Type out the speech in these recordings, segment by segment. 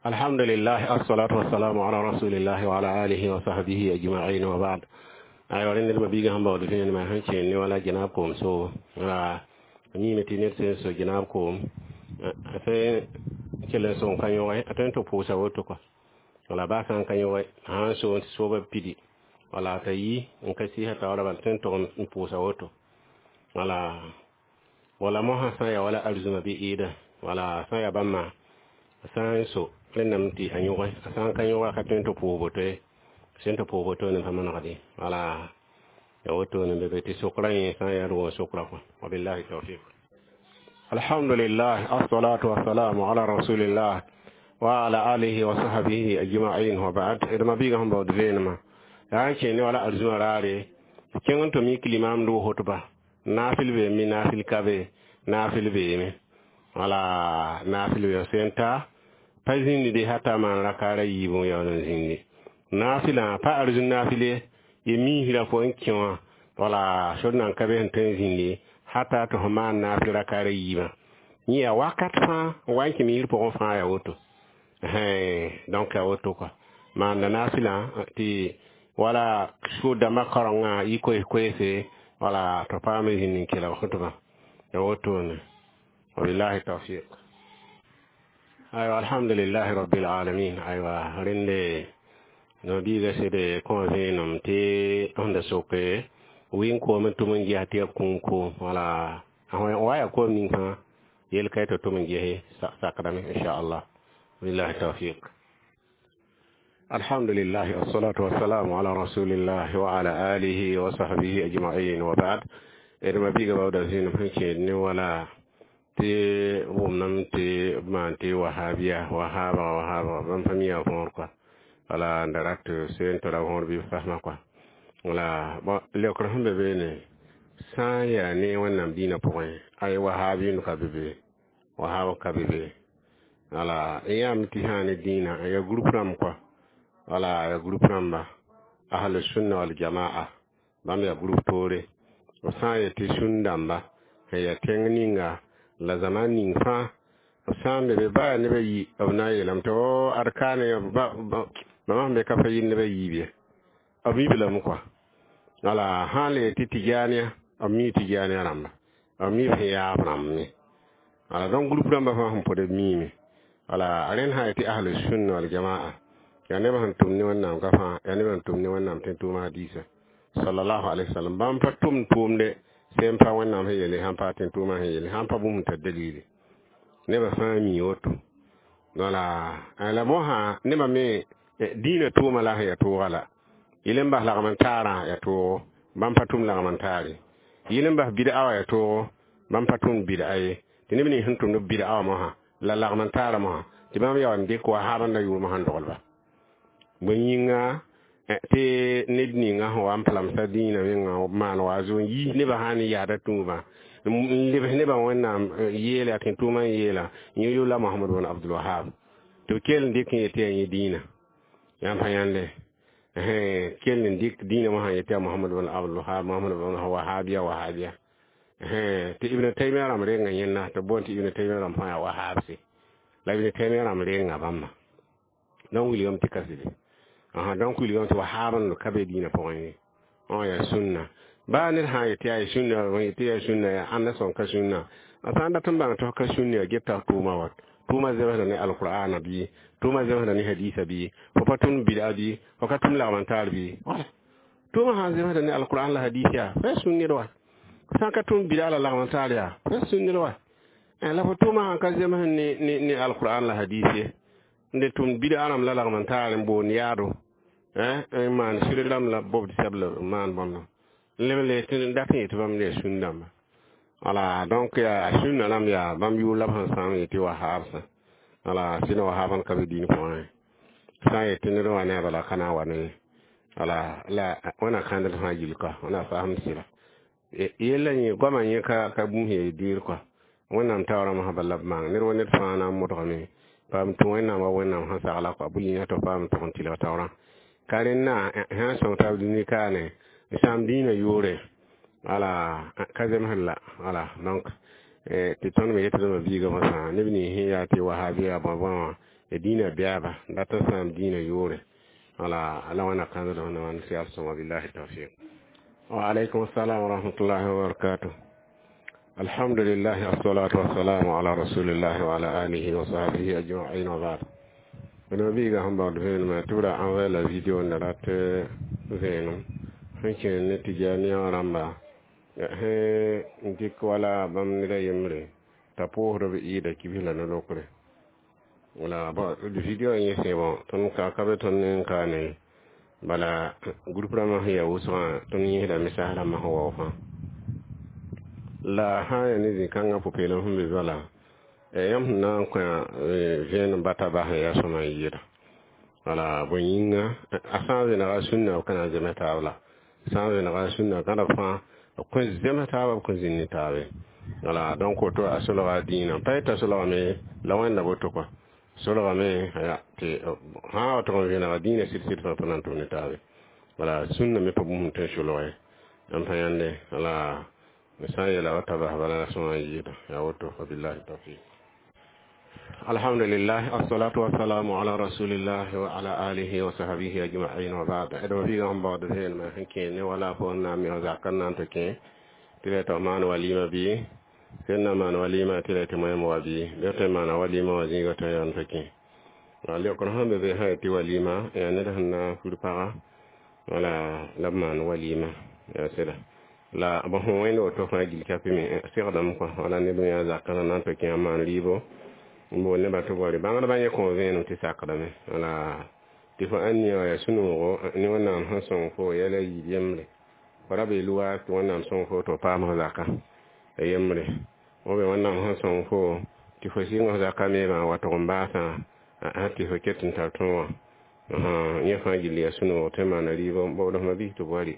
Alhamdulillah, assalatu wassalamu ala rasulillah wa ala alihi wa sahbihi ajma'in, wa ba'd. Aywa, rẽnd ned mabiigã sẽn baood vẽenemã sẽn kẽen ne wala genaab koom soobo la miime tɩ ned sẽn so genaab koom a tõe n kell n sõng ka yõge, a tõe n tɩ pʋʋsa woto kɔa. Wala baa sã n ka yõge, a sã n soon tɩ soobã pidi, wala t'a yi n ka sɩɩsã taoorã bala, tõe n tog n pʋʋsa woto. Wala mosã sã n ya wala arzũma bɩ ɩɩda, wala sã n ya bãmba sã n so rẽndame tɩ a yõge, a sã n ka yõge, a ka tõe n tɩ pʋʋs woto ye, sẽn tɩ pʋʋs wotone pa manegd ye. Wala ya wotone be be tɩ sokra yẽ sã n yaa d wʋm sokra kɔa. Wabillahi tawfiq. Alhamdulillah, assalatu wassalamu ala rasulillah wa ala alihi wa sahbihi ajma'in, wa ba'd. D mabiigã sẽn baood vẽenemã yaa n kẽ ne wala arzũa raare kẽng n tʋm yik limaam dʋ hotba naafɩl beeme, naafɩl ka be, naafɩl beeme, wala naafɩl be sẽn ta pa zĩndi hata maan rakaara yiib n yaool n zĩndi naafɩlã pa arzũn naafɩl ye, ye miisrã fo n kẽ wã, wala sor nan ka be sẽn tõe n zĩndi hata tɩ fo maan naafɩl rakaara yiibã. Yẽ yaa wakat fãa n wa n kẽ miisr pʋgẽ fãa yaa woto. Donc yaa woto kɔa, maanda naafɩlã tɩ wala sʋʋ dãmbã kaorengã yɩ koes-koeese, wala tɩ paam n zĩnd n kelg khutba, ya wotone. Wabillahi tawfiq. Aywa, alhamdulillahi rabbil alamin. Aywa, rẽnde no-biiga sede kõ vẽenem tɩ sẽn da soke wɩn koom n tʋm n ges tɩ ya kũum koom, wala wa yaa koom ning fãa yel ka tɩ tʋm n gese sakdame, inchallah. Billahi tawfiq. Alhamdulillah, wassalatu wassalamu ala rasulillah wa ala alihi wa sahbihi ajma'in, wa ba'd. D mabiiga baooda zĩnem sẽn kẽed ne wala tɩ wʋmname tɩ b maan tɩ wahabiya, wahaabga, wahaabga, bãmb pa mi a võor kɔa, wala n da rat seen tɩ ra võor bɩ b fasmã kɔa. Wala bõn leokr sẽn be beene sã n yaa ne Wẽnnaam dĩinã pʋgẽ, ay wahabind ka be be, wahab ka be be. Wala n yãame tɩ sã ne dĩinã ya groupe rãmb kɔa, wala ya groupe rãmba ahlu sunna wal jamaa, bãmb yaa groupe toore. B sã n yetɩ sũn dãmba sẽn yaa tẽng ninga la zaman ning fãa, b sã n be be baa nebã yi, b na n yeelame tɩ o ad kaane bãmb sẽn be ka pa yɩ nebã yiib ye, b mi lame kɔa. Wala sã n le yetɩ Tijaaniya, b mi Tijaaniya rãmba, b mi b sẽn yaab rãmb me. Wala donc groupe rãmbã fãa sẽn pʋd b miime. Wala rẽnd sã n yetɩ ahlu sunna wal jamaa, yaa nebã sẽn tʋm ne Wẽnnaam ka fãa, yaa nebã sẽn tʋm ne Wẽnnaam tẽn tʋʋma hadiisa sallallahu alaihi wasallam, bãmb pa tʋmd tʋʋmde sẽn pa Wẽnnaam sẽn yele, sãn pa tẽn tʋʋmã sẽn yele, sãn pa bũmb tar dalili, nebã fãa mi woto. Wala la mosã nebã me dĩinã tʋʋma la sẽn yaa tʋʋga la yɩl n bas lagm n taarã yaa toogo, bãmb pa tʋm lagm n taare, yɩl n bas bɩd'a wã yaa toogo, bãmb pa tʋmd bɩd'a ye, tɩ neb nins sẽn tʋmd bɩd'a wã mosã la lagm n taarã mosã tɩ bãmb yaa n dɩk wahaabã yʋʋmã sẽn doglba bõe yĩnga tɩ ned ninga sẽn wa n palamsa dĩinã menga maan wa zo n yiis nebã sã n yaada tũubã n lebs nebã Wẽnnaam yeela tɩ tʋʋmã n yeela yẽ yʋla Mohamad bn Abdul Wahab tɩ b kell n dɩk n yetɩ yaa yẽ dĩinã yãmb pa yãnde kell n dɩk dĩinã mosã yetɩ yaa Mohamad bn Abdul Wahab, Mohamad bn Wahabiya, Wahabiya, tɩ Ibn Taymiya rãmb renga yẽnda tɩ boond tɩ Ibn Taymiya rãmb fãa yaa Wahabse la Ibn Taymiya rãmb renga bãmba. Donc wilgame tɩ ka sɩde, donc wilgame tɩ wahaabã ka be dĩinã pʋgẽ ye. Yaa sũnna baa ned sã n yetɩ yaa sũnna, yetɩ yaa sũnna, yaa ãnda sõn ka sũnna, a sã n dat n bãng tɩ f ka sũnna, yaa geta tʋʋma wa tʋʋma zemsda ne alqur'ana bɩ tʋʋma zemsda ne hadisa bɩ fo pa tʋmd bɩda bɩ fo ka tʋm lagm n taar bɩ tʋʋma sã n zemsda ne alqur'an la hadis yaa fo yaa sũn-ned wa, sã n ka tʋm bɩda la lagm n taar yaa fo yaa sũn-ned wa. La fo tʋʋma sãn ka zems ne alqur'an la hadis ye, n de tʋmd bɩda rãmb la lagm n taar n boond yaado n maan sɩrg rãmb la bobd sɛbl maan bõmba leb le tɩ n dat n yetɩ bãmb yaa sũn dãmba. Wala donc yaa sũnna rãmb yaa bãmb yʋʋr la b sẽn sãam yetɩ wahabsã. Wala sɩd wahabã ka be dĩin pʋgẽ sã n yetɩ ned wa ne a bala ka na n wa ne wala la wẽna kãndd fãa gill kɔa, wẽna faasem sɩda yella yẽ goamã yẽ ka bũmb sẽn yaa dɩɩr kɔa. Wẽnnaam taoorã mosã bala b maang ned wa ned fãa na n modgame paam tũ Wẽnnaam wa Wẽnnaam sẽn sagla kɔa bʋ yĩnga tɩ f paam tʋg n tɩlg taoorã ka rẽnna sã n sõng taab dũni kaane n sãam dĩinã yʋʋre, wala ka zemsd la. Wala donc tɩ tõnd me yetdmã biigã mosã neb nins sẽn yaa tɩ wahabiya bõe bõe wã. Dĩinã bɛɛba dat n sãam dĩinã yʋʋre. Wala la wẽnna kãnsd sẽn na n sɛl sõma. Billahi tawfiq. Wa alaykum assalam wa rahmatullahi wa barakatuh. Alhamdulillah, assalatu wassalamu ala rasulillahi wa ala alihi wa sahbihi ajma'in, wa ba'd. No biiga sẽn baood vẽenemã tɩ b ra envoyé la video n da rat vẽenem sẽn kẽer ne Tɩjaaniya wã rãmba sẽn dɩk wala bãmb ned a yembre t'a pʋʋsd b ɩɩda kibs la no-lokre. Wala bon, video yẽ sẽ bon, tõnd ka be tõnd ne n kaane bala groupe rãmbã sẽn yaa wʋsgã, tõnd yẽsda message rãmbã sẽn wao fãa. La sã n yaa ne zĩ-kãngã pʋ-peelem sẽn be bala, yãmb sẽn na n kõ vẽenem bata bas n yaa sõma n yɩɩda. Wala bõe yĩnga, a sã n vẽnega sũnna, b ka na n zems taab, la sã n vẽnega sũnna gãda fãa, b kõn zems taaba, b kõn zĩnd ne taabe. Wala donc woto a solga dĩinã pa yetã solgame la wẽnda woto kɔa solgame tɩ sã wa tʋg n vẽnega dĩinã sɩd-sɩd fãa pa na n tʋm ne taabe. Wala sũnna me pa bũmb sẽn tõe n solg ye n pa yãnde. Wala sã n yeela wa ta bas bala sõma n yɩɩda yaa woto. Wabillahi tawfiq. Alhamdulillah, assalatu wassalamu ala rasulillah wa ala alihi wa sahbihi ajma'in, wa ba'd. Edma biiga sẽn baood vẽenemã sẽn kẽ ne wala fo n na n me zakã n na n tɩ kẽ tɩ la tɩ f maan walima bɩ sẽn na maan walima tɩ la tɩ moẽm wa bɩ bɩ tõe n maana walima wã zĩiga tõe n tɩ kẽ. Leokr sẽn be be sã tɩ walima yaa ned sẽn na n fur paga, wala la b maan walima yaa sɩda la bõ sẽn wẽnd woto fãa gil kapɩ me segdame kɔa. Wala ned me yaa zakã na n tɩ kẽ a maan rɩɩbo n bool nebã tɩ bɔre bãngdbã yẽ kõ vẽenem tɩ sakdame. Wala tɩ fo ãn nia wã yaa sũ-noogo ne Wẽnnaam sẽn sõng fo yɛla yiib yembre fo ra bee luwaas tɩ Wẽnnaam sõng fo tɩ f paam f zaka yembre b Wẽnnaam sẽn sõng fo tɩ fo sɩng f zaka meebã n wa tʋg n baasã tɩ fo ket n tar tõog wã. Yẽ fãa gill yaa sũ-noog tɩ maana rɩɩbɔ bool f mabiis tɩ b wa rɩ.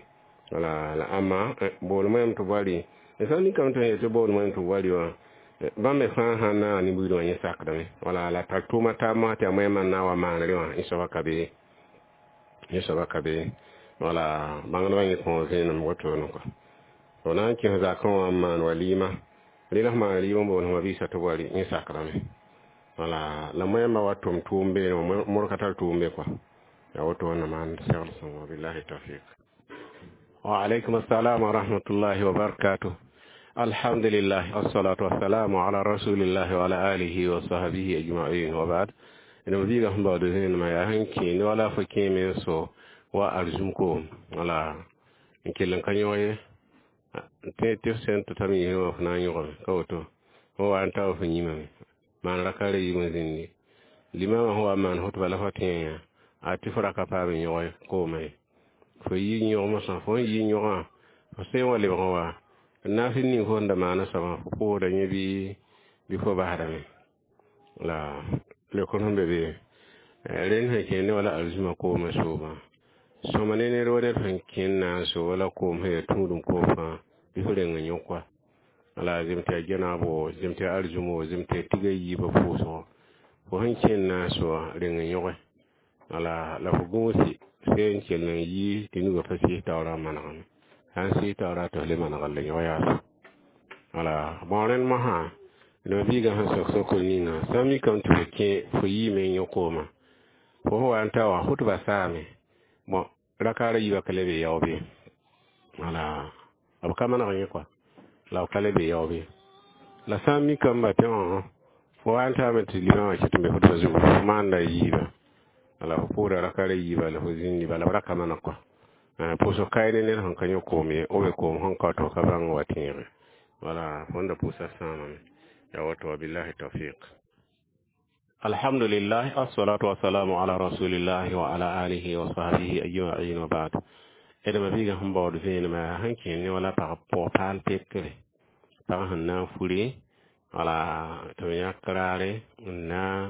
Wala la ãmba bool moẽm tɩ b wa rɩ sã n mikame tɩ yetɩ bool moẽm tɩ b wa rɩ wã, bãmb me fãa sãn na n ne-buiidã wã yẽ sakdame. Wala la tar tʋʋma taab mosã tɩ yaa moẽmã n na n wa maanrẽ wã yẽ soaba ka be, yẽ soaba ka be. Wala bãngdbã yẽ kõ vẽenem wotone kɔa fo na n kẽs zakã wã n maan walima rẽ la f maan rɩɩb n bool f mabiisã tɩ b wa rɩ, yẽ sakdame. Wala la moẽmbã wa tʋm tʋʋm beene wã mor ka tar tʋʋm be kɔa yaa woto wẽnna maan segl sõngo. Billahi tawfiq. Wa alaykum assalam wa rahmatullahi wa barakatuh. Alhamdulillah, assalatu wassalamu ala rasulillahi wa ala alihi wa sahbihi ajma'in, wa ba'd. Ina biiga sẽn baood vẽenemã yaa sẽn kẽ ne wala fo kẽ me n so wa arzũm koom. Wala n kell n ka yõg ye tɩ f sẽn tɩ tame yĩsẽ wã fo na n yõgame ka woto fo wa n ta f yĩmame maan raka ra yiib n zĩndi limamã sẽn wa n maan hʋtba la fo tẽe yã a tɩ fo raka paam n yõge koomã ye fo yi yõgmsã fo n yi yõgã fo sẽn wa lebg n wa naafɩ ning fo sẽn da maana soabã fo pʋʋsda yẽ bɩ fo basdame. La leokr sẽn be be rẽnd sẽn kẽ ne wala arzũmã koomã soobã sõma ne ned wa ned sẽn kẽnd na n so wala koom sẽn yaa tũudum koom fãa bɩ fo reng n yõk wa. Wala zem tɩ yaa genaabo, zem tɩ yaa arzũmo, zem tɩ yaa tiga yiibã pʋʋsgo, fo sẽn kẽnd na n soa reng n yõge. Wala la fo gũusi sẽn n kell n yi tɩ nugã pa sɩs taoorã n manegame, sã n sɩs taoorã tɩ f le maneg n le yõg yaas. Wala bõo rẽnd mosã neb biigã sẽn sok sokr ninga sã n mikame tɩ fo kẽ fo yiime n yõ koomã fo sẽn wa n ta wã hʋtba saame bõn rakaara yiibã ka le be yao bɩ wala b ka maneg yẽ kɔa la b ka le be yao bɩ. La sã n mikame tɩ fo wa n taame tɩ limã wã ket n be hʋtba zugu fo maanda yiibã wala fo pʋʋda rakaara yiibã la fo zĩndi bala b ra ka maneg kɔa pʋʋsg kae ne ned sẽn ka yõ koom ye o be koom sẽn ka tɩ f ka bãng wa tẽege. Wala fõn da pʋʋsa sãamame yaa woto. Wabillahi tawfiq. Alhamdulillah, assalatu wassalamu ala rasulillahi wa ala alihi wa sahbihi ajma'in, wa ba'd. Edma biiga sẽn baood vẽenemã sẽn kẽ ne wala pag pʋg paal pekre pag sẽn na n fure wala tɩ b yãk raare n na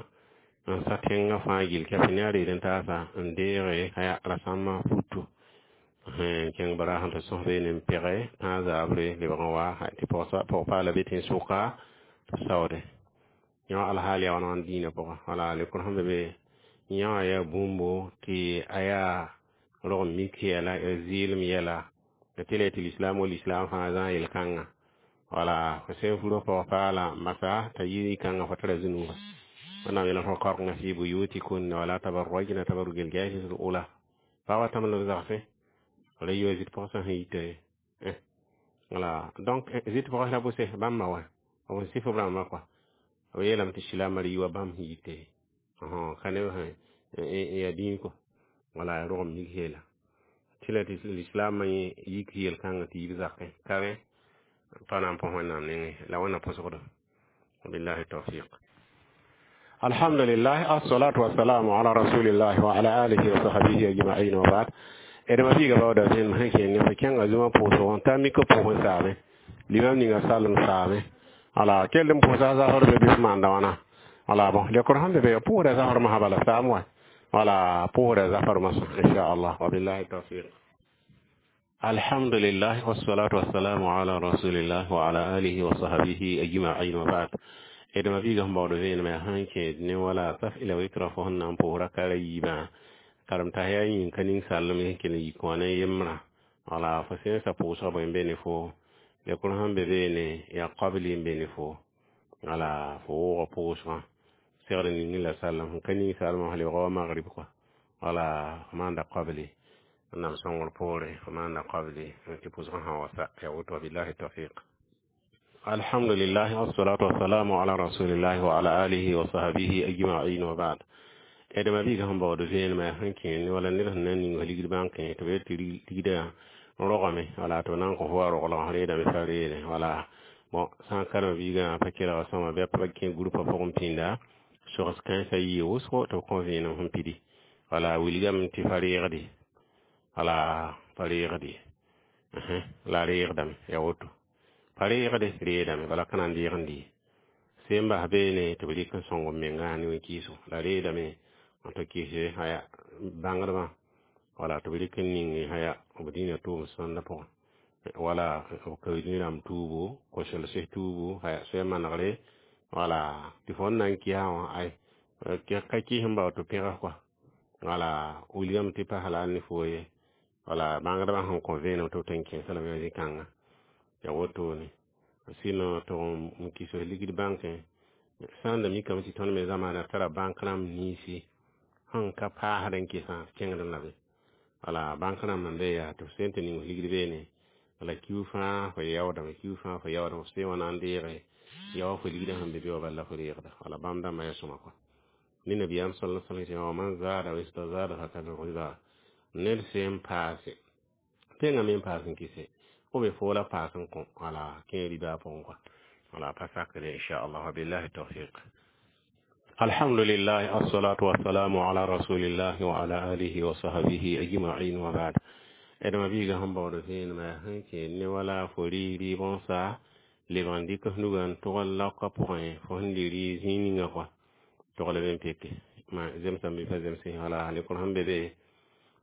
n sa tẽngã fãa gill kɛpɩ ne a reed n taasa n deege rasãmbã futu n kẽng bara sẽn tɩ sõs beene n pɛge tãag zaabre lebg n wa tɩ pɔg-paala be tẽn-sʋka tɩ saoode yõ alhaal yaa wãn dĩinã pʋgã. Wala lekr sẽn be be yã wã yaa bũmbo tɩ a yaa rog n mik yɛla ya zɩɩlem yɛla tɩ la tɩ lislaam wa lislaam fãa zã yel-kãngã. Wala fo sẽn fur pɔg-paala masa t'a yi kãngã fo tara zũnuga. Wẽnnaam yeelame وقرن في بيوتكن ولا تبرجن تبرج الجاهلية الأولى. Pa wa tãmb la b zagsẽ wala yiwa zit pʋgsã sẽn yita ye. Voilà, donc zit pʋgs la bʋse bãmb ma wã b sɩf b rãmbã kɔa, b yeelame tɩ silaamã yiwa bãmb sẽn yite ka neb sẽn yaa dĩig kɔ. Wala rogem yik yeela tɩ la tɩ lislaamã yik yel-kãngã tɩ yib zakẽ ka rẽ pa na n põs Wẽnnaam nengẽ la wẽnna põsgdo. Wabillahi tawfiq. الحمد لله، الصلاة والسلام على رسول الله وعلى آله وصحبه أجمعين، وبعد. D ma biiga baooda vẽenem sẽn kẽer ne fo kẽnga zũmã pʋʋsg n ta mik pʋgẽ saame limam ninga salem saame. Wala kell n pʋʋsa zafr be bɩ f maanda wãna. Wala bon, lekr sẽn be be pʋʋsda zafr mosã bala saam wa. Wala pʋʋsda zafr mosã, inchallah. Wabillahi tawfiq. الحمد لله والصلاة والسلام على رسول الله وعلى آله وصحبه أجمعين، وبعد. D ma biiga sẽn baood vẽenemã sẽn kẽed ne wala saf ila witra fo sẽn na n pʋʋsra kara yiibã karem-tas yaa yĩng ka ning sallem sẽn kell n yik wã ne yembrã. Wala fo sẽnsa pʋʋsga bõe n be ne fo lekr sẽn be beene yaa qabli n be ne fo. Wala fo wʋʋga pʋʋsgã segd ning la sallem sẽn ka ning salmã lebga wa magrib kɔa. Wala fo maanda qabli Wẽnnaam sõngr poore, fo maanda qabli tɩ pʋʋsgã sã wa sa ya woto. Wabillahi tawfiq. الحمد لله والصلاة والسلام على رسول الله وعلى آله وصحبه أجمعين، وبعد. D ma biiga sẽn baood vẽenemã sẽn kẽer wala ned sẽn na n ning ligd bãnkẽ tɩ b yet tɩ ligdã rogame, wala tɩ b na n kõ fo wa roglg reedame fa reene. Wala bon, sã n karema biigã pa kelga sõma bɩ pa kẽ groupa pʋgẽ pĩnda sogs kãensã yɩɩ wʋsgo tɩ b kõ vẽenem sẽn pidi. Wala wilgame tɩ pa reegde, wala pa reegde la reegdame ya woto, pa reegde reedame bala ka na n deeg n dɩ sẽn bas beene tɩ b rɩk n sõng b menga ne wẽn-kɩɩsgo la reedame n tɩ kɩse aya bãngdbã, wala tɩ b rɩk n ning aya b dĩinã tʋʋm sõnda pʋgẽ, wala b kao rãmb tuubu kosels tuubu aya soa manegre. Wala tɩ fo n na n kɩsa wã ay ka kɩs n bao tɩ pẽgs kɔa. Wala wilgame tɩ pas la ne fo ye. Wala bãngdbã sẽn kõ vẽenem tɩ b tõe n kẽesa lame zĩ-kãnga ya wotone. Sɩno tɩ n kɩs ligd bãnkẽ sã n da mikame tɩ tõnd me zamaana tara bãnk rãmb ninsi sẽn ka paasd n kɩsã kẽngd la be. Wala bãnk rãmb n be yaa tɩ f sẽn tɩ ning f ligd beene, wala kiu fãa fo yaoodame, kiu fãa fo yaoodame, f sẽn wã na n deege yaoog fo ligdã sẽn be be wã bala la fo reegda. Wala bãmb dãmbã yaa sõma kɔa ne nabiyaam sala sallam tɩ wa man zaada wastazada fakad riba. Ned sẽn paase tẽngã me n paas n kɩse fo be fo la paas n kõ, wala kẽ riba pʋgẽ kɔa, wala pa sakre, inchallah. Wabillahi tawfiq. الحمد لله الصلاة والسلام على رسول الله وعلى آله وصحبه أجمعين، وبعد. D ma biiga sẽn baood vẽenemã sẽn kẽer ne wala fo rɩ rɩɩb n sa lebg n dɩk f nugã n tʋgl laoka pʋgẽ fo sẽn lɩ rɩ zĩig ninga kɔa togl b n peke ma zemsame bɩ pa zemse. Wala lekr sẽn be be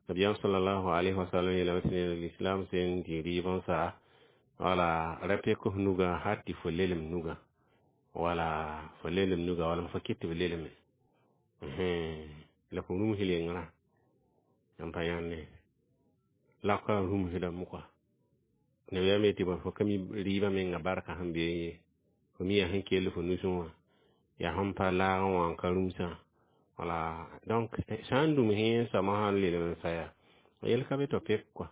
nabiyaam salallahu alayhi wasallam yeelame tɩ ned lislam sẽn dĩ rɩɩb n sa, wala ra pek f nugã har tɩ fo lelem nugã, wala fo lelem nugã, wala fo kɩt tɩ b leleme la fo rũms lengrã n pa yãnde laka rũmsdame kɔa. Nabiyaam yetɩ bõe fo ka mi rɩɩbã menga barka sẽn be ye, fo mi yaa sẽn kell fo nusẽ wã yaa sẽn pa laagẽ wã n ka rũmsã. Wala donc sã n dũms yẽ soamã sã n lelem n sa yaa yel ka be tɩ pek kɔa,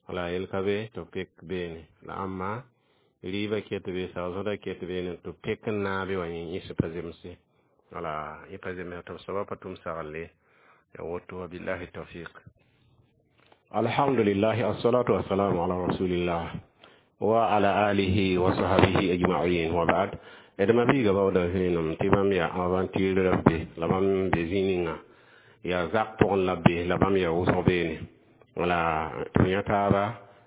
wala yel ka be tɩ pek beene la ãmba rɩɩbã ket be saoosdã ket beene tɩ pek n naabe wã yẽ pa zemse, wala yẽ pa zemse tɩ b soabã pa tʋm saglle ya woto. Wabillahi tawfiq. الحمد لله الصلاة والسلام على رسول الله وعلى آله وصحبه أجمعين، وبعد. D ma biiga baooda vẽenem tɩ bãmb yaa aventure la be la bãmb be zĩ ninga yaa zak pʋgẽ la be la bãmb yaa wʋsg beene. Wala tɩ yã taaba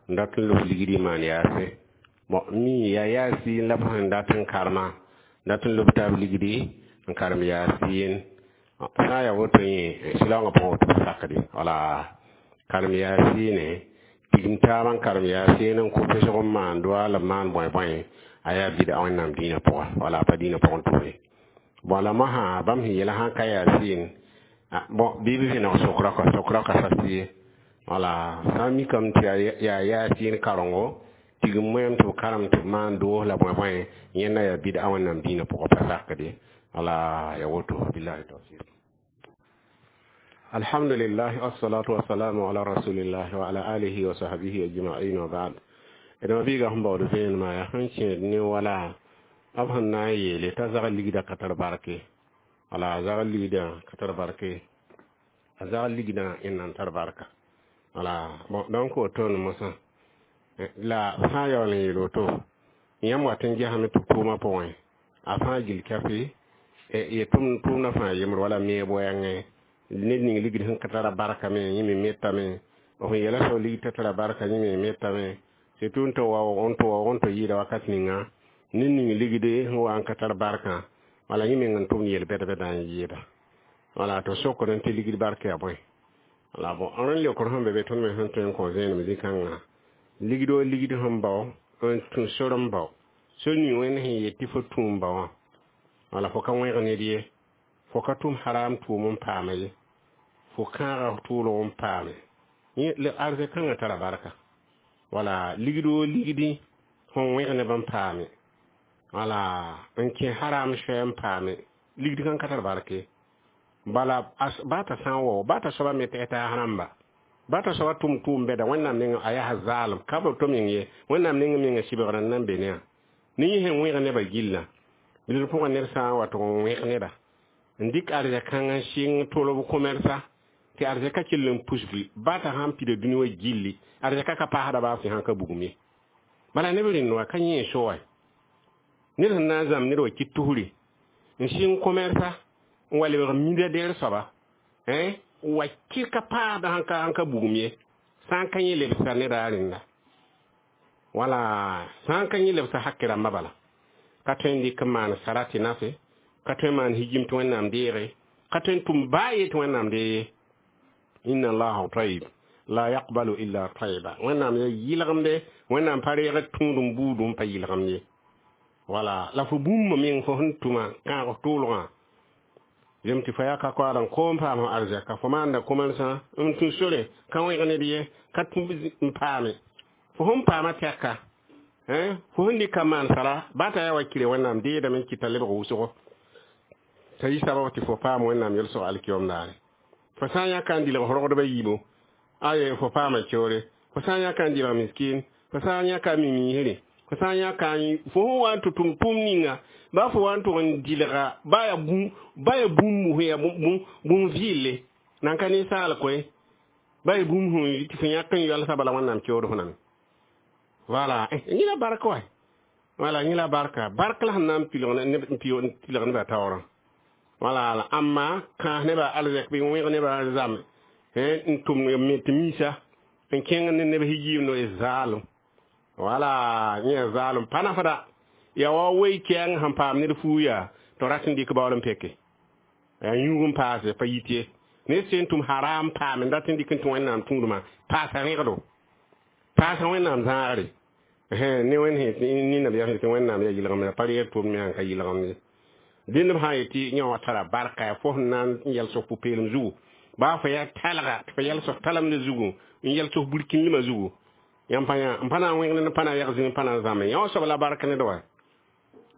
n dat n lob ligd n maan yaase bon mi yaa yaasi la b sẽn dat n karema dat n lob taab ligdi n karem yaasiin sã n yaa woto yẽ silaoongã pʋgẽ woto pa sakde. Wala karem yaasiine tigim taabã n karem yaasiin n kõ pesg n maan doa la b maan bõe bõe a yaa bɩda Wẽnnaam dĩinã pʋga, wala pa dĩinã pʋgẽ tʋʋre bon. La mosã bãmb sẽn yeela sãn ka yaasiin bon bɩ b vẽneg sokra kɔ sokra ka sas ye. Wala sã n mikame tɩ yaa yaasiin karengo tigim moɛɛm tɩ b karem tɩ b maan doos la bõe bõe yẽnda yaa bɩda Wẽnnaam dĩinã pʋgã pa sakde. Wala ya woto, billahi tawfiq. Alhamdulillah, wassalatu wassalamu ala rasulillah wa ala alihi wa sahbihi ajma'in, wa ba'd. D mabiiga sẽn baood vẽenemã yaa sẽn kẽed ne wala b sẽn na n yeele t'a zag ligdã ka tar barke. Wala a zag ligdã ka tar barke, a zag ligdã yẽnd na n tar barka. Wala bon, donc woto ne mosã la fãa yaool n yeel woto yãmb wat n gesame tɩ b tʋʋmã pʋgẽ a fãa gil kafe ye tʋʋmdã fãa yembr wala meeb wɛɛngẽ ned ning ligd sẽn ka tara barka me yẽ me metame b sẽn yeela soab ligd t'a tara barka yẽ me metame surtout n tɩ waoog n tɩ waoog n tɩ yɩɩda wakat ninga ned ning ligde sẽn wa n ka tar barkã wala yẽ meng n tʋmd yel-bɛd-bɛdã n yɩɩda wala tɩ sokd n tɩ ligd barka yaa bõe. Wala bon, rẽnd leokr sẽn be be tõnd me sẽn tõe n kõ vẽenem zĩ-kãngã ligdo ligd sẽn bao n tũ sor n bao sor ning wẽnd sẽn yet tɩ fo tũ n bao wã wala fo ka wẽg ned ye, fo ka tʋm haram tʋʋm n paama ye, fo kãaga tʋʋlg n paame yẽ arzɛk kãngã tara barka. Wala ligdo ligdi sẽn wẽg neb n paame wala n kẽ haram soɛ n paame ligd kãn ka tar barke. Bala ba t'a sã n wao ba t'a soaba me tɩ taas rãmba ba t'a soaba tʋm tʋʋm bɛda Wẽnnaam neng a yaa zaalem ka b to meng ye Wẽnnaam neng menga sɩbgr n nan be ne ne yẽ sẽn wẽg nebã gillã bilg pʋgã ned sã n wa tɩ n wẽg neda n dɩk arzɛk-kãng n sɩng tolb commerça tɩ arzɛka kell n pusgi ba t'a sãn pida dũni wã gilli arzɛka ka paasda baa fẽ sãn ka bugum ye. Bala neb rẽnd wã ka yẽ so wa ned sẽn na n zãmb ned wa kɩt tusri n sɩng commerça n wa lebg milliardaire soaba wa kɩ ka paasda sãn ka bugum ye sã n ka yẽ lebsa neda rẽnda wala sã n ka yẽ lebsa hakɩ rãmbã bala ka tõe n dɩk n maan sara tɩ nafe ka tõe n maan higim tɩ Wẽnnaam deege ka tõe n tʋm baa ye tɩ Wẽnnaam dee ye. Inna allaha tayib la yaqbalu illa tayiba. Wẽnnaam ya yɩlgemde Wẽnnaam pa reegd tũud n buud n pa yɩlgemd ye. Wala la fo bũmb meng fo sẽn tʋma kãag tʋʋlgã zem tɩ fo yaa ka koaad n koom paam f arzɛka fo maanda commerçant n tũ sore ka wẽg ned ye ka tũ n paame fo sẽn paama tɛka fo sẽn dɩka maan sara ba t'a yaa wa kire Wẽnnaam deedame n kɩta lebg wʋsgo t'a yɩ sabab tɩ fo paam Wẽnnaam yel-sog alkiyom daare fo sã n yãka n dilg rogdbã yiibo aye fo paama keoore fo sã n yãka n dilg miskin fo sã n yãka mimiisre fo sã n yãka fo sẽn wa n tɩ tʋm tʋʋm ninga ba fo wa n tʋg n dilga ba yaa bũmb sẽn yaa bũmb vɩɩle nan ka ninsaal koe ba yaa bũmb sẽn tɩ fo yãk n yalsa bala Wẽnnaam keood fo name. Voilà, yẽ la barka wa wala yẽ la barka bark la sẽn na n tilg nebã taoorã. Wala amma kãas nebã arzɛk bɩ wẽg nebã zame n tʋm me tɩ miisa n kẽng ne neb higiim no zaalem. Wala yẽ zaalem pa nafda ya wa wei kɛɛng sẽn paam ned fuu yaa tɩ rat n dɩk baool n peke yaa yũug n paase pa yit ye ned sẽn tʋm haram paame n dat n dɩk n tɩ Wẽnnaam tũudmã paasa rẽgdo paasa Wẽnnaam zãagre ne wẽnd sẽn nabiyaam sẽn tɩ Wẽnnaam yaa yɩlgemd pa reeg tʋʋm me sãn ka yɩlgemd ye dẽnd b sã n yetɩ yẽ wã tara barka yaa fo sẽn na n yɛls f pʋ-peelem zugu baa fo yaa talga tɩ fo yɛls f talemdã zugu n yɛls f burkĩndmã zugu yãmb pa yã n pa na n wẽgd n pa na n yag zĩig n pa na n zãme yã wã soab la bark ned wa.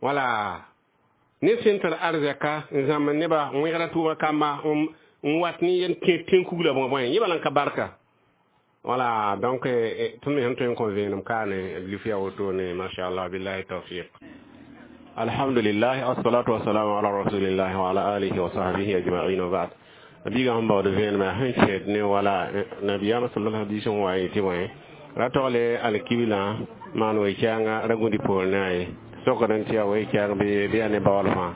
Wala ned sẽn tar arzɛka n zãmb nebã n wẽgda tʋʋma kamba n wat ne yen tẽn kugla bõe bõe yẽ bala n ka barka. Wala donc tõnd me sẽn tõe n kõ vẽenem kaane lif yaa wotone machallah billahi tawfiq. Alhamdulillah, assalatu wassalamu ala rasulillah wa ala alihi wa sahbihi ajma'in, wa ba'd. Biiga sẽn baood vẽenemã sẽn kẽed ne wala nabiyaamã sallallahu alaihi wasallam wa yetɩ bõe ra togle alkiblã maan wee-kɛɛngã ra gũdi poor ne a ye sokd n tɩ yaa wee-kɛɛng bɩ yaa ne baool fãa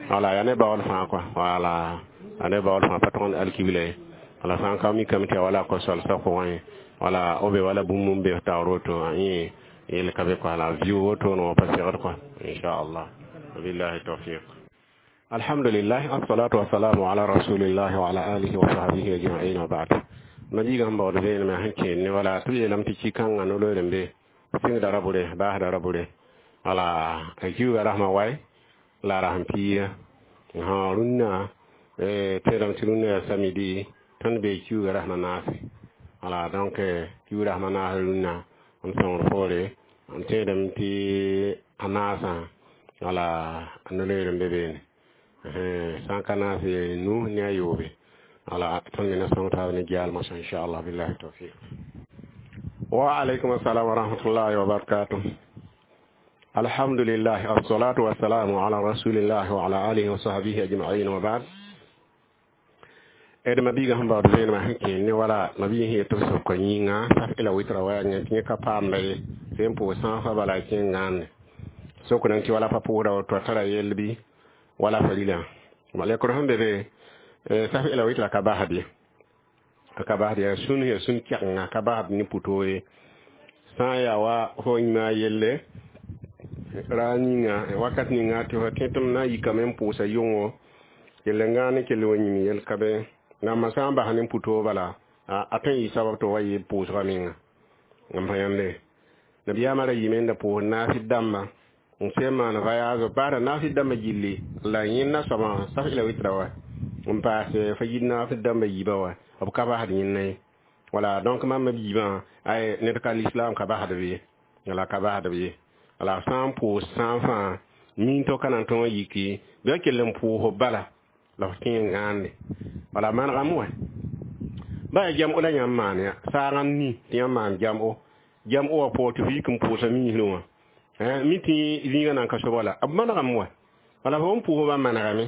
wala yaa ne baool fãa kɔa wala yaa ne baool fãa pa tʋg n alkibla ye wala sã n ka mikame tɩ yaa wala ko-solsã pʋgẽ wala b be wala bũmb n be taoor woto yẽ yel ka be kɔa la viu woto wã pa segd kɔa inchallah billahi tawfiq. Alhamdulillah, assalatu wassalamu ala rasulillah wa ala alihi wa sahbihi ajma'in, wa ba'd. Mabiiga sẽn baood vẽenemã sẽn kẽed ne wala tɩ b yeelame tɩ ki-kãngã no-loeere n be sɩngda ra bʋre baasda ra bʋre wala a kiuga rasmã wae la a rasm piiga rũnnã tẽedame tɩ rũnnã yaa samedi tõnd bee kiuga rasmã naase. Wala donc kiug rasmã naas rũnnã n sõngr poore n tẽedame tɩ a naasã wala a no-loeer n be beene. Sã n ka naas nu ne a yoobe. Wala tõnd me na sõng taab ne gɛalmã sã inchallah billahi tawfiq. Wa alaykum assalam wa rahmatullahi wa barakatuh. Alhamdulillah, assalatu wassalamu ala rasulillah wa ala alihi wa sahbihi ajma'in wa ba'd. D mabiigã sẽn baood vẽenemã sẽn kẽ ne wala mabiig sẽn yet tɩ b sʋka yĩnga saf la witra wa yaa tɩ yẽ ka paamda ye sẽn pʋʋs sãasã bala a kẽng gãande sokdã tɩ wala pa pʋʋsda woto a tara yell bɩ wala fa rilã lekr sẽn be be saf la witra ka basd ye, a ka basd yaa sũn, yaa sũn kɛgenga ka basd ne pʋtoo ye. Sã n yaa wa fo yĩma yelle ra ninga wakat ninga tɩ fo tẽ tɩ m na n yikame n pʋʋsa yʋngo kell n gãane kell wa yĩm yel ka be rãmbã sã n bas ne pʋtoo bala a tõe n yɩ sabab tɩ wa yɩ pʋʋsgã menga n pa yãmbe. Nabiyaamã ra yɩme n da pʋʋs naafɩd dãmbã n sẽn maan voyage baada naafɩd dãmbã gilli la yẽnda soabã saf la witra wa n paas fa yid naafɩd dãmbã yiibã wa b ka basd yẽnna ye. Wala donc mam b yiibã ay ned ka l'islam ka basd b ye, wala ka basd b ye. Wala sã n pʋʋs sã n fãa min to ka na n tõog n yiki bɩ a kell n pʋʋs bala la f kẽ n gãande wala manegame wɛ ba yaa jam-o la yãmb maan ya saagã n ni tɩ yãmb maan jam-o jam-o wã pʋgẽ tɩ f yik n pʋʋsa miisrẽ wã mi tɩ zĩigã nan ka soaba la b manegame wɛ wala fo n pʋʋs ba manegame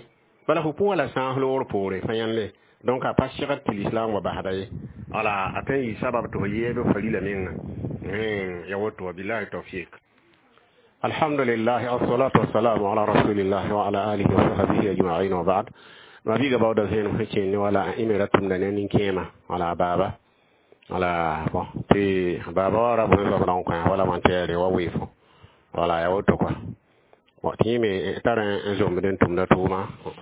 bala fo pʋʋsa la sãas loogr poore fa yãnde. Donc a pa segd tɩ l'islam wa basda ye, wala a tõe n yɩ sabab tɩ fo yeeb fa rila menga ya woto wa billahi tawfiq. Alhamdulillah, assalatu wassalamu ala rasulillah wa ala alihi wa sahbihi ajma'in wa ba'd. Mabiiga baooda vẽenem sẽn kẽnd ne wala y me ra tʋmda ne nin-kẽema wala baaba wala bon tɩ baaba wa ra bõe zoabd n kõ wala wãntɛɛre wa weefo wala ya woto kɔa. Bon tɩ yẽ me tar n zomd n tʋmda tʋʋma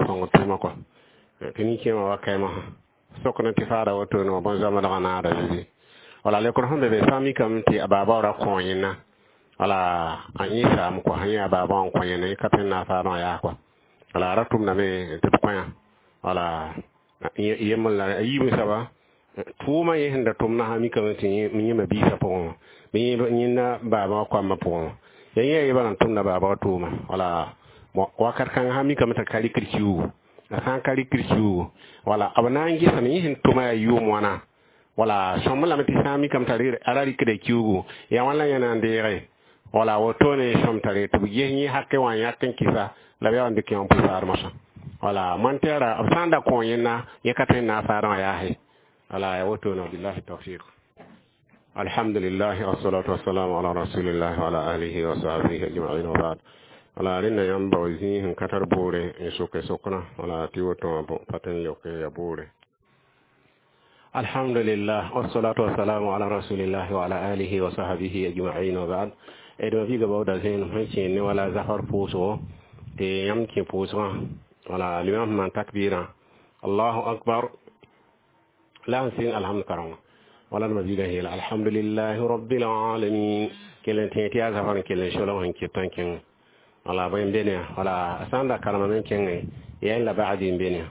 sõng tʋʋma kɔa tɩ nin-kẽemã wa kaɩmã sokd tɩ faada wotone wã bõn-zãmdgã naada zoe wala lekr sẽn be be sã n mikame tɩ a baaba ra kõ yẽnna wala a yẽ saam kɔa yẽ a baaba wã n kõ yẽnna yẽ ka tõe n na n faadã wã yaa kɔa wala a ra tʋmdame tɩ b kõ wala yembr la a yiib soaba tʋʋmã yẽ sẽn da tʋmda sã mikame tɩ yẽma biisã pʋgẽ wã bɩ yẽnda baaba wã koamã pʋgẽ wã ya yẽ yebã n tʋmda baaba wã tʋʋma wala bon wakat kãngã sã mikame t'a ka rɩkd kiuugu a sã n ka rɩkd kiuugu wala b na n gesame yẽ sẽn tʋma yaa yʋʋm wãna wala sõmb lame tɩ sã n mikame t'a a ra rɩkda kiuugu yaa wãn la yẽ na n deege wala wotone sõm tare tɩ b ges yẽ hakẽ wã n yãk n kɩsa la b yaa n dɩk yã n pʋ faadmosã wala montɛɛra b sã n da kõ yẽnna yẽ ka tõe n na n faadã wã yaase wala ya wotone billahi tawfiq. Alhamdulillah, wassalatu wassalamu ala rasulillah wa ala alihi wa sahbihi ajma'in wa ba'd. Wala rẽnda yãmb bao zĩig sẽn ka tar boore n soke soknã wala tɩ woto wã pa tõe n yaoke ya boore. Alhamdulillah, wassalatu wassalamu ala rasulillah wa ala alihi wa sahbihi ajma'in wa ba'd. D mabiiga baooda zẽenem sẽn kẽen ne wala zafar pʋʋsgo tɩ yãmb kẽ pʋʋsgã wala limam sẽn maan takbirã allahu akbar la sẽn sɩng alhamd karengã wala d mabiigã yeela alhamdulillahi rabbil alamin kell n tẽ tɩ yaa zafar n kell n solg sẽn ket n kẽng wala bõe n be ne wala sã n da karemame n kẽngẽ yaa la bacdi n be ne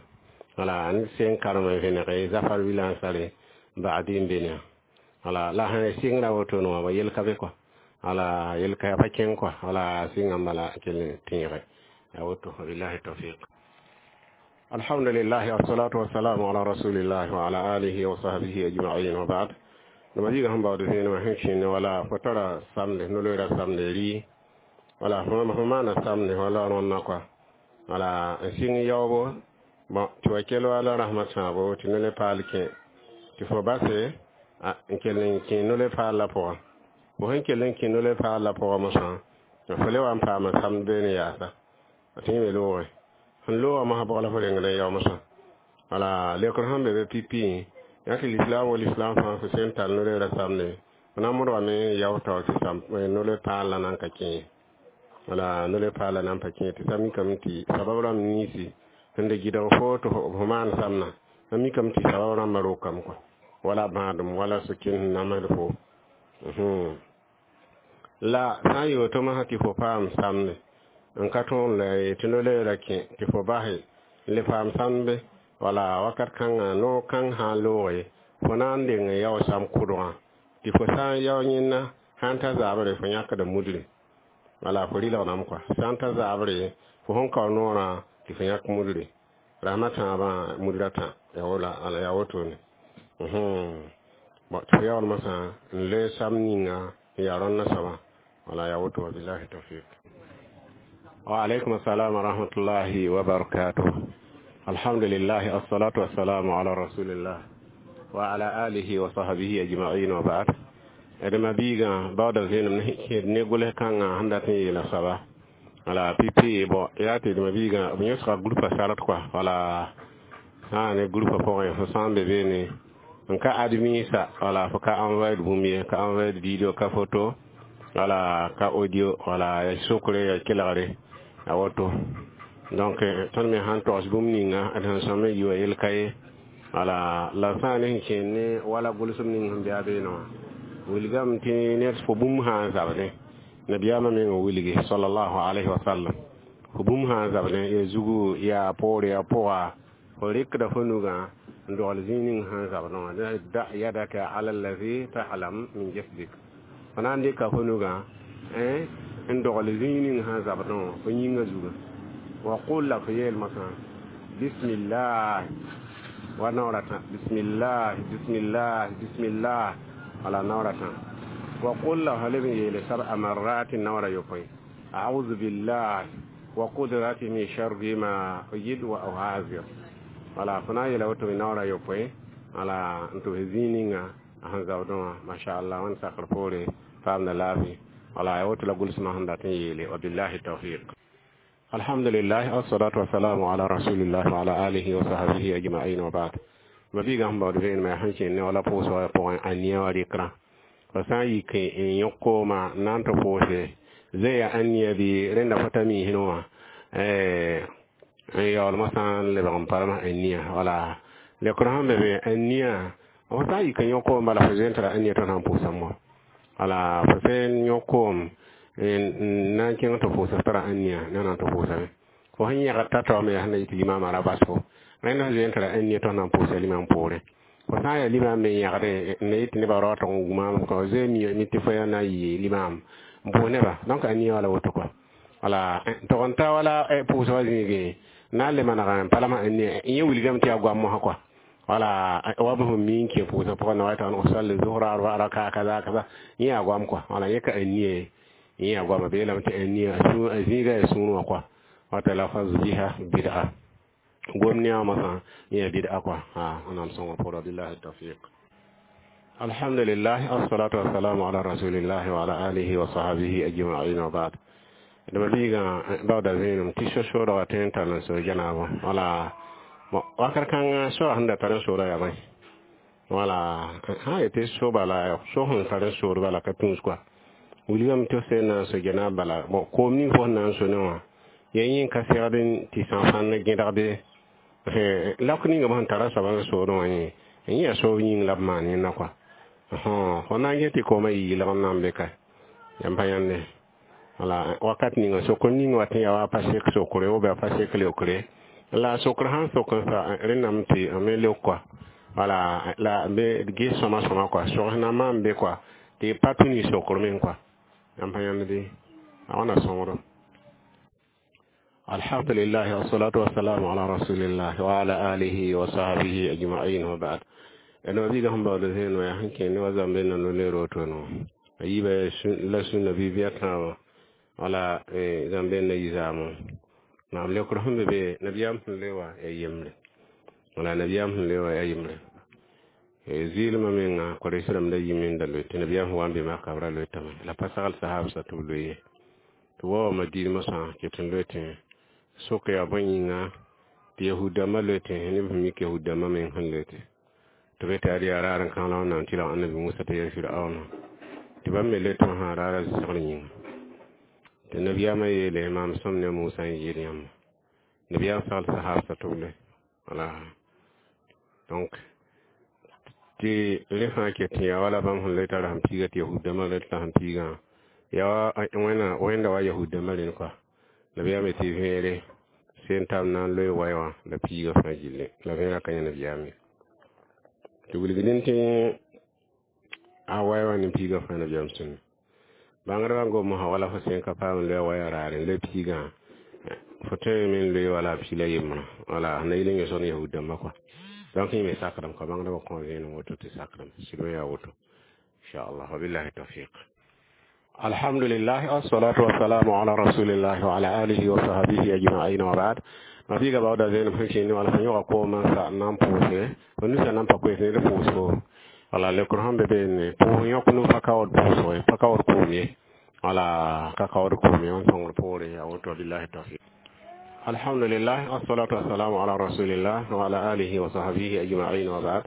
wala n sẽn karem n vẽnege zafar wilã n sare bacdi n be ne wala la sẽn sɩngra wotone wã ba yel ka be kɔa wala yel ka pa kẽng kɔa wala sɩngã bala kell n tẽege ya woto billahi tawfiq. Alhamdulillah, wassalatu wassalamu ala rasulillah wa ala alihi wa sahbihi ajma'in wa ba'd. Mabiiga sẽn baood vẽenemã sẽn kẽne wala fo tara samde no-loeera samde rɩ wala fo maana samde wala rõnna kɔa wala n sɩng yaoobo bon tɩ wa kell wala rasmã sãabo tɩ no-le paal kẽ tɩ fo base n kell n kẽ no-le paal la pʋgã fo sẽn kell n kẽ no-le paal la pʋgã mosã fo le wa n paama samd beene yaasa tɩ yẽ me loogẽ sẽn loogã mosã bʋg la fo rengd n yao mosã wala lekr sẽn be be pipi yaa tɩ l'islam wa l'islam fãa fo sẽn tall no-loeera samde fo na n modgame n yao tao tɩ sam no-le paal la nan ka kẽ wala no-le paal la nan pa kẽ tɩ sa mikame tɩ sabab rãmb niisi sẽn da gɩdg fo tɩ fo maan samna a mikame tɩ sabab rãmbã rokame kɔa wala bãadem wala soken sẽn namsd fo la sã n yoor tɩ mosã tɩ fo paam samde n ka tõog la tɩ no-loeera kẽ tɩ fo base n le paam sambe wala wakat kãngã noog kãng sã n looge fo na n deng n yao sam kʋdgã tɩ fo sã n yao yẽnna sã n ta zabre fo yãkda mudre wala fo rɩlgdame kɔa sã n ta zabre fo sẽn kao noorã Tɩ fo yãk mudre rasmã tãabã mudra tã ya wala ala ya wotone bon tɩ fo yaool masã n loe sam ninga n yaa rõndã soaba wala ya woto. Wabillahi tawfiq. Wa alaikum assalam wa rahmatullahi wa barakatuh. Alhamdulillah, assalatu wassalamu ala rasulillah wa ala alihi wa sahbihi ajma'in, wa ba'd. Adama biiga baooda vẽenem ne gʋls kãngã sẽn dat n yeela soaba wala pipi. Bon, yaa tɩ dma biigã b yõsga groupa sart kɔa wala sã ne groupa pʋgẽ fo sã n be beene n ka admisa wala fo ka envoyer bũmb ye, ka envoyer vidéo, ka photo wala ka audio wala ya sokre ya kelgre a woto. Donc tõnd me sãn togs bũmb ninga d sẽn sõm n yi wa yel ka ye wala la sã ne sẽn kẽen ne wala gʋlsem ning sẽn be a beene wã wilgame tɩ ned fo bũmb sã n zabdẽ nabiyaamã meng n wilgi sallallahu alayhi wa sallam fo bũmb sã n zabdẽ ya zugu yaa poore ya pʋga fo rɩkda fo nugã n dogl zĩig ning sẽn zabdẽ wã da yadaka ala allazi ta'lam min jasdik fo na n dɩka fo nugã n dogl zĩig ning sẽn zabdẽ wã fo yĩngã zuga wa qul la fo yeel masã bismillah wa naoora tã bismillah bismillah bismillah wala naoora tã wa qul la fa leb n yeele sab'a marratin naoora yopoe a'udhu billah wa qudrati min sharri ma ujid wa uhazir wala fo na n yeela woto me naoora yopoe wala n tʋ zĩig ninga a sẽn zabdẽ wã masha allah wãnd sakr poore paamda laafɩ wala ya woto la gʋlsmã sẽn dat n yeele. Wabillahi tawfiq. Alhamdulillah, assalatu wassalamu ala rasulillah wa ala alihi wa sahbihi ajma'in, wa ba'd. Ma biiga sẽn baood vẽenemã yaa sẽn kẽen ne wala pʋʋsg wã pʋgẽ a nia wã rɩkrã fo sã n yik n yõk kooma n na n tɩ pʋʋse zẽ ya ãnia bɩ rẽnda fo ta miisẽ wã n yaool mosã n lebg n palma ania wala leokr sẽn be be ania fo sã n yik n yõk koom bala fo zoe n tara ania tõnd sãn pʋʋsa mo wala fo sẽn yõk koom n na n kẽng tɩ pʋʋsa tara ania na n tɩ pʋʋsame fo sẽn yẽgd t'a taoome yaa sẽn na yɩ tɩ limaamã ra bas fo rẽnd sẽn zoe n tara ania tõnd sãn pʋʋsa limam poorẽ fo sã n yaa limaam me yẽgdẽ n na yɩ tɩ nebã raootg n gũmaam ka zoe mi tɩ fo yaa na n yɩ limaam n pʋʋs nebã donc ania wala woto kɔa wala tog n ta wala pʋʋsgã zĩigẽ na n le maneg n palma ania yẽ wilgame tɩ yaa goam mosã kɔa wala wa b sẽn mi n kẽ pʋʋsgã pʋgẽ na wa tɩ usalli zuhra arba raka kaza kaza yẽ yaa goam kɔa wala yẽ ka ania ye yẽ yaa goama bee lame tɩ ania a zĩiga yaa sũur wã kɔa wata lafaz biha bid'a gom ne masa yẽ bid'a kɔa wẽnnaam sõnga pʋgã. Billahi tawfiq. Alhamdulillah, assalatu wassalamu ala rasulillah wa ala alihi wa sahbihi ajma'in, wa ba'd. Dama biigã baooda vẽenem tɩ so-soodga tõe n tall n so janaabã wala wakat kãngã soa sẽn da tar n sooda yaa bõe wala sã n yetɩ so bala so sẽn tar n sood bala ka tũus kɔa wilgame tɩ f sẽn na n so janaab bala bon koom ning fo sẽn na n so ne wã ya yẽ ka segd tɩ sã-fãnd gẽdg be lak ninga b sẽn tara soaba n soodẽ wã yẽ n yẽ yaa soob yĩng la b maan yẽnda kɔa fo na n get tɩ koomã yɩ yɩlg n na n be ka yãmb pa yãnde wala wakat ninga sokr ning wat n yaa wa pa sek sokre ou bien pa sek leokre la sokr sãn sok n sa rẽndame tɩ me leok kɔa wala la be ges sõma sõma kɔa sogs na maan be kɔa tɩ pa tũ ne sokr meng kɔa yãmb pa yãnd bɩ a wãna sõngdo. Alhamdulillah, wassalatu wassalamu ala rasulillah wa ala alihi wa sahbihi ajma'in, wa ba'd. Eno biga sẽn baood zẽen wã yaa sẽn kẽen ne wa zãmbe na no-leer woto no a yiibã la sũnna bi-bɩa tãabã wala zãmbe na yi zaamã naam leokr sẽn be be nabiyaam sẽn le wa yaa yembre wala nabiyaam sẽn le wa yaa yembre zɩɩlmã menga koreis rãmb da yime n da loe tɩ nabiyaam sẽn wa n be maka b ra loetame la pa sagl sahab sa tɩ b loe ye tɩ wa wa madin mosã ket n loe tɩ sok yaa bõe yĩnga tɩ yahud-dãmbã loe tɩ neb sẽn mik yahud-dãmbã meng sẽn loe tɩ be tɩ ad yaa raar n kãng la wẽnnaam tɩ la annabi Musa tɩ yaa Firaona tɩ bãmb me loe tɩ wã sã raara zɩsgr yĩnga tɩ nabiyaamã yeele maam sõm ne Musa n yeel yãmba nabiyaam sagl sahab sa tɩ b loe wala donc tɩ rẽ fãa ket tɩ yaa wala bãmb sẽn loe tara sẽn piiga tɩ yahud-dãmbã loe tɩ la sẽn piigã yaa wẽna wẽnda wa yahud-dãmbã rẽnd kɔa nabiyaam tɩ vẽere sẽn tab na n loe waɛ wã la piigã fãa gilli la vẽerã ka yã nabiyaam ye tɩ wilgdẽ tɩ a waɛ wã ne piigã fãa nabiyaam sũnna bãngdbã gom mosã wala fo sẽn ka paam n loe waya raare n loe piigã Fo tõe n me n loe wala pila yembrã, wala na yɩl n yõsg ne yahud dãmbã kɔa. Donc yẽ me sakdame kɔa, bãngdbã kõ vẽenem woto tɩ sakdame sɩd yaa woto, inchallah. Wabillahi tawfiq. Alhamdulillah, assalatu wassalamu ala rasulillah wa ala alihi wa sahbihi ajma'in, wa ba'd. Mabiiga baooda vẽenem sẽn kẽnd wala fo yõga koomã n sa n na n pʋʋse fo nusa nan pa koes ned pʋʋsgo, wala leokr sẽn be beene pʋʋs yõk nu pa kaood pʋʋsg ye, pa kaood koom ye, wala ka kaood koom ye. Wẽn sõngr poore yaa woto. Billahi tawfiq. Alhamdulillah, assalatu wassalamu ala rasulillah wa ala alihi wa sahbihi ajma'in, wa ba'd.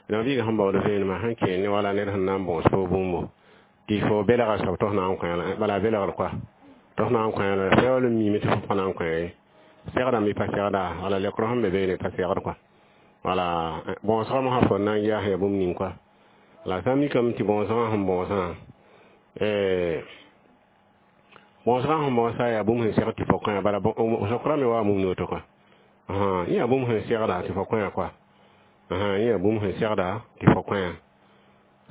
Mabiiga sẽn baood vẽenemã sẽn kẽend wala ned sẽn na n bõos fo bũmbo tɩ fo belga soab tɩ f na n kõ, bala belgr koa tɩ f na n kõ, la yaool n miime tɩ fo pa na n kõ ye, segdame bɩ pa segda, wala leokr sẽn be beene pa segd kɔa, wala bõosgã mosã fo na n yaas ya bũmb ning kɔa. La sã n mikame tɩ bõosgã sẽn bõosã, bõosgã sẽn bõosa yaa bũmb sẽn segd tɩ fo kõ, bala sokra me waa bũmb ni woto kɔa. Yẽ yaa bũmb sẽn segda tɩ fo kõ kɔa, yẽ yaa bũmb sẽn segda tɩ fo kõ.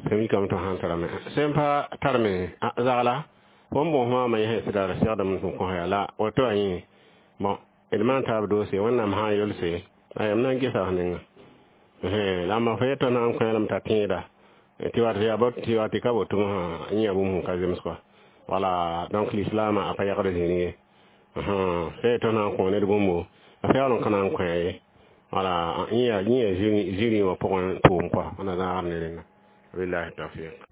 Sẽn mikame tɩ sãn tarame, sẽn pa tarme zagla fo n bõos maamã, yẽ sẽn sɩda segdame tɩ kõ ya la woto a yẽ. Bon, d maan taab doose Wẽnnaam sã n yelse a yam na n gesa f ninga la ma fo yetɩ na n kõ t'a tẽeda tɩ wat yaa tɩ wa tɩ ka boto mosã, yẽ yaa bũmb sẽn ka zems kɔa. Wala donc l'islam a pa yagd zĩni ye sã yetɩ na n kõ ned bũmbo, a fa yaool n ka na n kõ ye, wala yẽ yaa zĩrĩ wã pʋgẽ tʋʋm kɔa wẽnna zãagd ne rẽnda. Billahi tawfiq.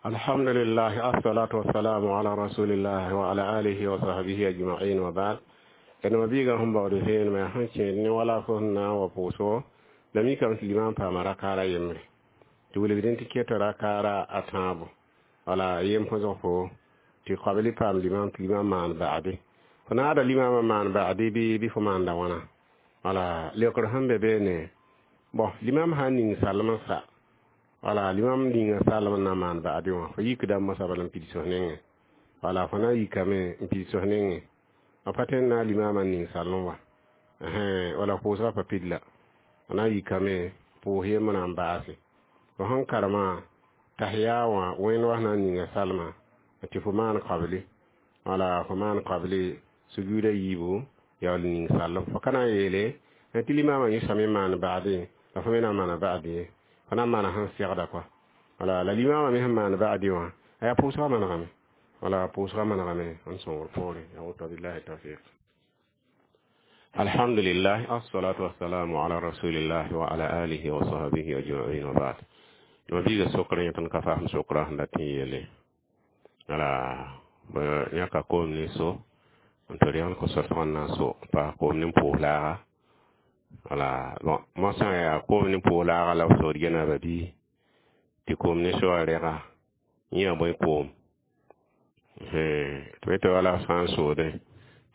Alhamdulillah, assalatu wassalamu ala rasulillah wa ala alihi wa sahbihi ajma'in, wa ba'd. D mabiigã sẽn baood vẽenemã sẽn kẽed ne wala fo sẽn na n wa pʋʋsgo, la mikame tɩ limam paama rakaara yembre tɩ wilgdẽ tɩ keta rakaara a tãabo, wala yem põsg fo tɩ kabli paam limam tɩ limam maan ba'ade, fo naada limamã maan ba'ade bɩ fo maanda wãna, wala leokr sẽn be beene. Bon, limam sã n ning salem n sa, wala limam ninga salem n na n maan ba'ade wã, fo yikdame mosã bala n pids f nengẽ, wala fo na n yikame n pids f nengẽ, a pa tõe n na limamã n ning salem wa, wala pʋʋsgã pa pid la fo na n yikame pʋʋs yembr na n baase fo sẽn karemã tahiya wã. Wẽnd wa sẽn na n ninga salmã tɩ fo maan kabli, wala fo maan kabli sujuuda yiibu yaool ning salem, fo ka na n yeele tɩ limamã yẽsame n maan ba'ade la fo me na n maana ba'ade ye, fo na n maana sẽn segda kɔa, wala la limamã me sẽn maan ba'ade wã a yaa pʋʋsgã manegame, wala pʋʋsgã manegame n sõngr poore yaa woto. Billahi tawfiq. Alhamdulillah, assalatu wassalamu ala rasulillah wa ala alihi wa sahbihi ajma'in, wa ba'd. Mabiiga sokr yẽ tõnd ka fasem sokra sẽn dat n yeele, wala yãka koom ne so n tɩ rẽgd ko-soasg n na n so n paas koom ne pʋʋs laaga, wala bon mosã yaa koom ne pʋʋs laaga la b sood gena ba bii tɩ koom ne soa rega yẽ yaa bõe koom tɩ b tɩ wala sã n soodẽ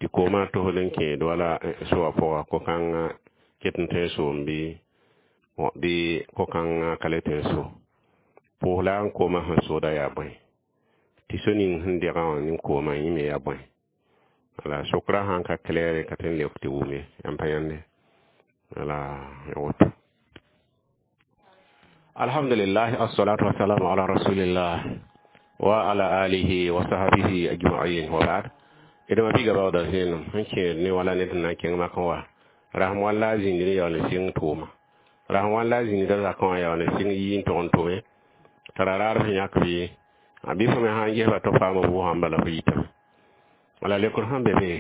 tɩ koomã tosd n kẽed wala soa pʋga ko-kãngã ket n tõe n soom bɩ ko-kãngã ka le tõe n so pʋʋs la n koomã sẽn sooda yaa bõe tɩ so ning sẽn degã wã nin koomã yẽ me yaa bõe, wala sokra sãn ka claire ka tõe n leok tɩ wʋm ye yãmb pa yãnde, wala ya woto. Alhamdulillah, assalatu wassalamu ala rasulillah wa ala alihi wa sahbihi ajma'in, wa ba'd. D mabiiga baooda vẽenem sẽn kẽed ne wala ned sẽn na n kẽng makẽ wa rasem wãn la a zĩnd ne yaool n sɩng tʋʋma, rasem wãn la a zĩnda zakẽ wã yaool n sɩng yii n tog n tʋme tara raar sẽn yãk bɩ fo me sã n gesba tɩ f paam vʋʋsã bala fo yitame, wala leokr sẽn be be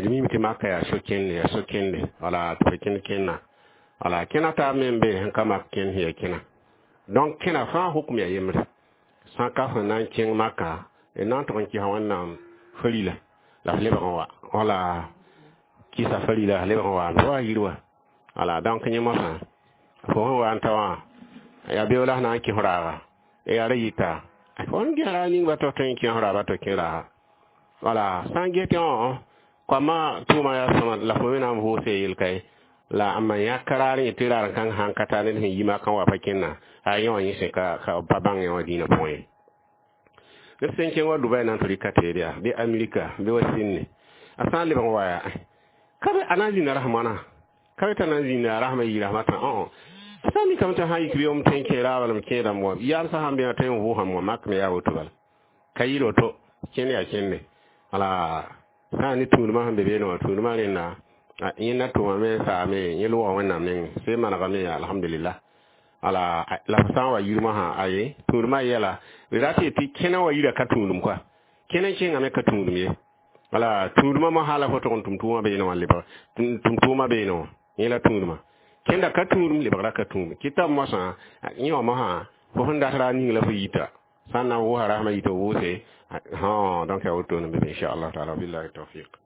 d mime tɩ maka yaa so-kẽnde, yaa so-kẽnde, wala tɩ fo kẽnd kẽnna, wala kẽna taab me n be sẽn ka mak kẽnd sẽn yaa kẽna. Donc kẽna fãa hukum yaa yembre sã n ka sẽn na n kẽng maka d na n tʋg n kɩsa Wẽnnaam farila la f lebg n wa, wala kɩsa farila f lebg n wa wa yir wa, wala donc yẽ mosã fo sẽn wa n ta wã yaa beoog la sẽn na n kɩs raaga yaa ra yita fo n ges raag ning ba tɩ f tõe n kẽ raaba tɩ kẽ raaga, wala sã n ges tɩ koamã tʋʋma yaa sõma la fo me na n vʋʋse yel kaye la n ma yãk raar yẽ tɩ raar kãng sãn ka tar ned sẽn yi makã wa pa kẽnna a yẽ wã yẽ sẽn ka pa bãng yẽ wã dĩinã pʋgẽ ye. Ned sẽn kẽng wa Dubai na n tɩ rɩka teed yaa bɩ Amerika bɩ wa sĩnne, a sã n lebg n wa yaa ka be a na n zĩnda rasem wãna, ka be t'a na n zĩnda rasmã yɩ rasmã tã sã n mikame tɩ sã n yik bɩ m tõe n kẽ raaba la m kẽedame wã yaam sã sãn be wã tõe n vʋʋsame wã mak me yaa woto bala ka yɩl woto kẽnd yaa kẽnde, wala. Sã n ne tũudmã sẽn be beene wã, tũudmã rẽnda yẽnda tʋmame n saame, yẽ loga Wẽnnaam nengẽ, sẽn manegame, alhamdulillah. Ala la f sã n wa yir mosã, aye, tũudmã yɛla d rat tɩ kẽna wa yira ka tũudum koa, kẽna n kẽngame ka tũudum ye. Wala tũudmã mosã la fo tʋg n tʋm tʋʋmã beene wã, lebg tʋm tʋʋmã beene wã, yẽ la tũudmã. Kẽnda ka tũudum, lebgra ka tũudum. Kɩta mosã yẽ wã mosã, fo sẽn dat ra ning la fo yita sã n na n wʋsa rasmã yita wʋʋse. Donc ya wotone be, inchallah taala. Billahi tawfiq.